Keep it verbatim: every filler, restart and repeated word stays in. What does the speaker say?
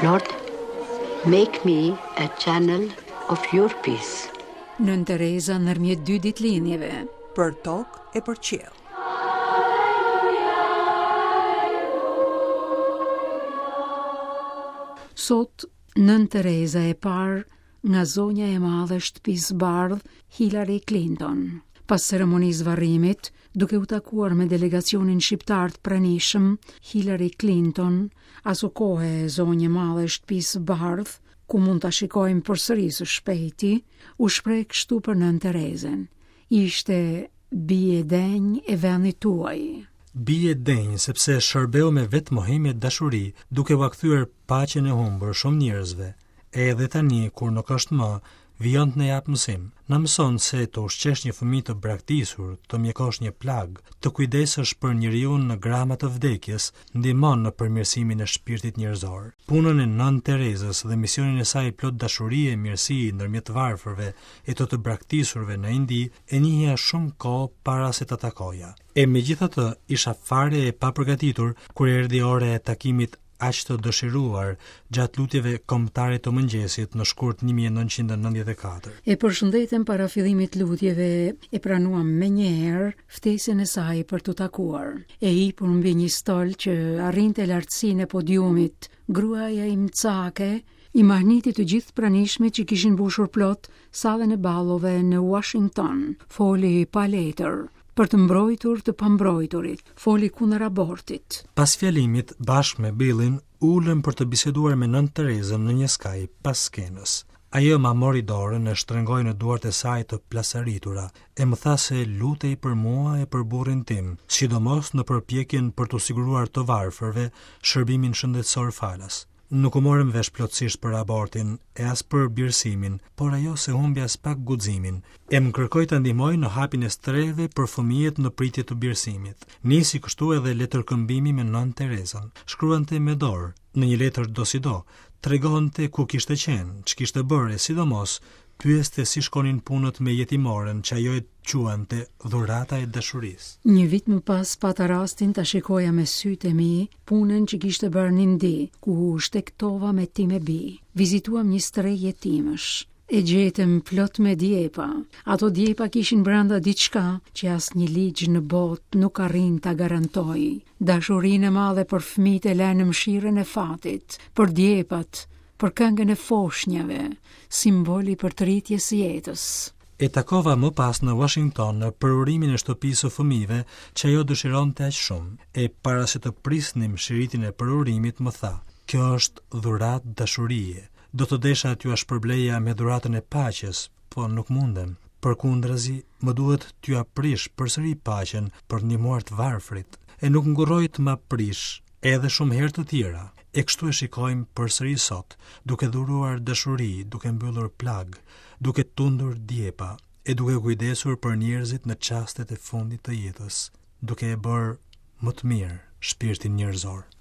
Lord, make me a channel of your peace. Nënë Tereza ndërmjet dy ditëlindjeve. Për tokë e për qiell. Sot Nënë Tereza e parë nga zonja e madhe e shtëpisë bardhë Hillary Clinton. Pas ceremonisë varrimit, duke u takuar me delegacionin shqiptar të pranishëm, Hillary Clinton, aso kohe zonjë e madhe e shtëpisë bardhë, ku mund ta shikojmë përsëri së shpejti, u shpreh kështu për Nënë Terezën. Ishte bie denjë e vendit tuaj. Bie denjë sepse shërbeu me vetëmohim e dashuri, duke ua kthyer paqen e humbur shumë njerëzve. Edhe tani, kur nuk është më, vijon të na japë mësim. Na mëson se të ushqesh një fëmijë të braktisur, të mjekosh një plagë, të kujdesësh për njeriun në grama të vdekjes, ndihmon në përmirësimin e shpirtit njerëzor. Punën e Nënë Terezës dhe misionin e saj plot dashuri e mirësi ndërmjet varfërve e të të braktisurve në Indi e njihja shumë kohë para se ta takoja. E megjithatë, isha fare e papërgatitur kur erdhi ora e takimit aq të dëshiruar gjatë lutjeve kombëtare të mëngjesit në shkurt një mijë e nëntëqind e nëntëdhjetë e katër. E përshëndetëm para fillimit të lutjeve, e pranuam menjëherë ftesën e saj për t'u takuar. E hipur mbi një stol që arrinte lartësinë e podiumit, gruaja imcake i mahniti të gjithë pranishmit që kishin mbushur plot sallën e ballove në Washington. Foli pa letër për të mbrojtur të pambrojturit, foli kundër abortit. Pas fjalimit, bashkë me Billin, ulëm për të biseduar me Nënë Terezën në një skaj pas skenës. Ajo ma mori dorën e shtrëngoi në duart e saj të plasaritura, e më tha se lutej për mua e për burrin tim, sidomos në përpjekjen për t'u siguruar të varfërve shërbimin shëndetësor falas. Nuk u morëm vesh plotësisht për abortin e as për birësimin, por ajo se humbi as pak guximin, e më kërkoi ta ndihmoj në hapin e strehëve për fëmijët në pritje të birësimit. Nisi kështu edhe letërkëmbimi me Nënë Terezën. Shkruante me dorë, në një letër dosido, tregonte ku kishte qenë, ç'kishte bërë e sidomos pyeste si shkonin punët me jetimoren që ajo e quante dhurata e dashurisë. Një vit më pas pata rastin ta shikoja me sytë e mi punën që kishte bërë në Indi, ku shtektova me time bi. Vizituam një strehë jetimësh. E gjetëm plot me djepa. Ato djepa kishin brenda diçka që asnjë ligj në botë nuk arrin ta garantojë. Dashurinë e madhe për fëmijët e lënë në mëshirën e fatit, për djepat, për këngën e foshnjave, simboli për tritjes së jetës. E takova më pas në Washington në përurimin e shtëpisë së fëmijëve që ajo dëshironte aq shumë. E para se të prisnim shiritin e përurimit më tha: "Kjo është dhuratë dashurie. Do të desha t'jua shpërbleja me dhuratën e paqes, po nuk mundem. Përkundrazi, më duhet t'jua prish përsëri paqen për të ndihmuar të varfrit." E nuk ngurroi të ma prish edhe shumë herë të tjera. E kështu e shikojmë përsëri sot, duke dhuruar dashuri, duke mbyllur plagë, duke tundur djepa, e duke kujdesur për njerëzit në çastet e fundit të jetës, duke e bërë më të mirë shpirtin njerëzor.